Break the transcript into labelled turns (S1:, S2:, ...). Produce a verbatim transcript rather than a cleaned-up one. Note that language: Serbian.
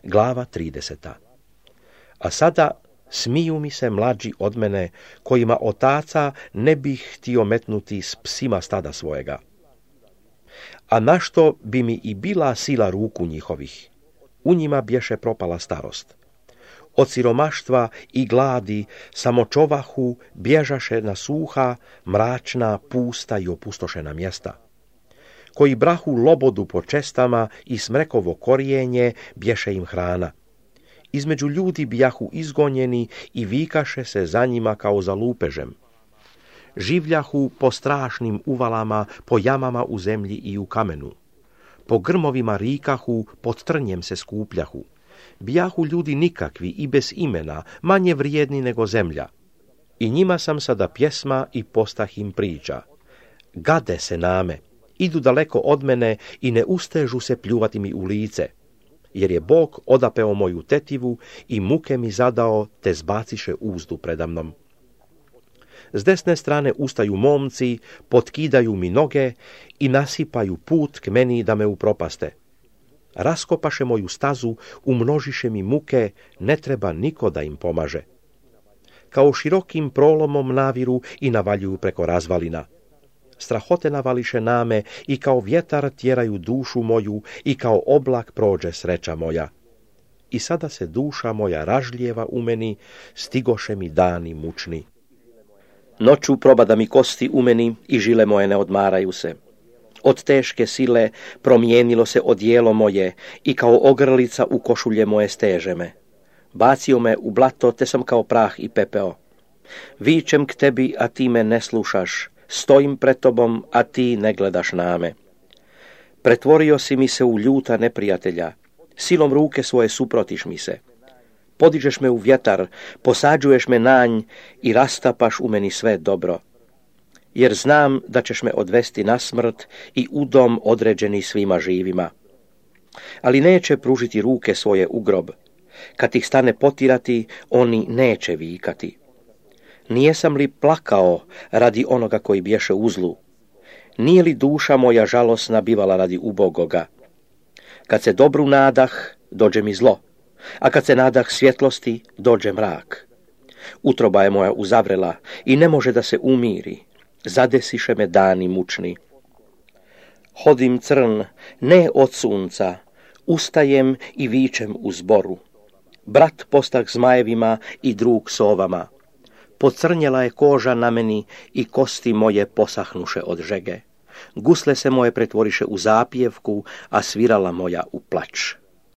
S1: Glava trideseta. A sada smiju mi se mlađi od mene, kojima otaca ne bih htio metnuti s psima stada svojega. A našto bi mi i bila sila ruku njihovih? U njima bješe propala starost. Od siromaštva i gladi samočovahu bježaše na suha, mračna, pusta i opustošena mjesta. Koji brahu lobodu po čestama i smrekovo korijenje bješe im hrana. Između ljudi bijahu izgonjeni i vikaše se za njima kao za lupežem. Življahu po strašnim uvalama, po jamama u zemlji i u kamenu. Po grmovima rikahu, pod trnjem se skupljahu. Bijahu ljudi nikakvi i bez imena, manje vrijedni nego zemlja. I njima sam sada pjesma i postah im priča. Gade se name, idu daleko od mene i ne ustežu se pljuvati mi u lice. Jer je Bog odapeo moju tetivu i muke mi zadao, te zbaciše uzdu predamnom. S desne strane ustaju momci, potkidaju mi noge i nasipaju put k meni da me upropaste. Raskopaše moju stazu, umnožiše mi muke, ne treba niko da im pomaže. Kao širokim prolomom naviru i navaljuju preko razvalina. Strahote navališe name i kao vjetar tjeraju dušu moju i kao oblak prođe sreća moja. I sada se duša moja ražljeva u meni, stigoše mi dani mučni. Noću probada mi kosti u meni i žile moje ne odmaraju se. Od teške sile promijenilo se odijelo moje i kao ogrlica u košulje moje steže me. Bacio me u blato, te sam kao prah i pepeo. Vičem k tebi, a ti me ne slušaš. Stojim pred tobom, a ti ne gledaš na me. Pretvorio si mi se u ljuta neprijatelja. Silom ruke svoje suprotiš mi se. Podižeš me u vjetar, posađuješ me nanj i rastapaš u meni sve dobro. Jer znam da ćeš me odvesti na smrt i u dom određeni svima živima. Ali neće pružiti ruke svoje u grob. Kad ih stane potirati, oni neće vikati. Nijesam li plakao radi onoga koji bješe u zlu? Nije li duša moja žalosna bivala radi ubogoga? Kad se dobru nadah, dođe mi zlo, a kad se nadah svjetlosti, dođe mrak. Utroba je moja uzavrela i ne može da se umiri. Zadesiše me dani mučni. Hodim crn, ne od sunca, ustajem i vičem u zboru. Brat postah zmajevima i drug sovama. Pocrnjela je koža na meni i kosti moje posahnuše od žege. Gusle se moje pretvoriše u zapjevku, a svirala moja u plač.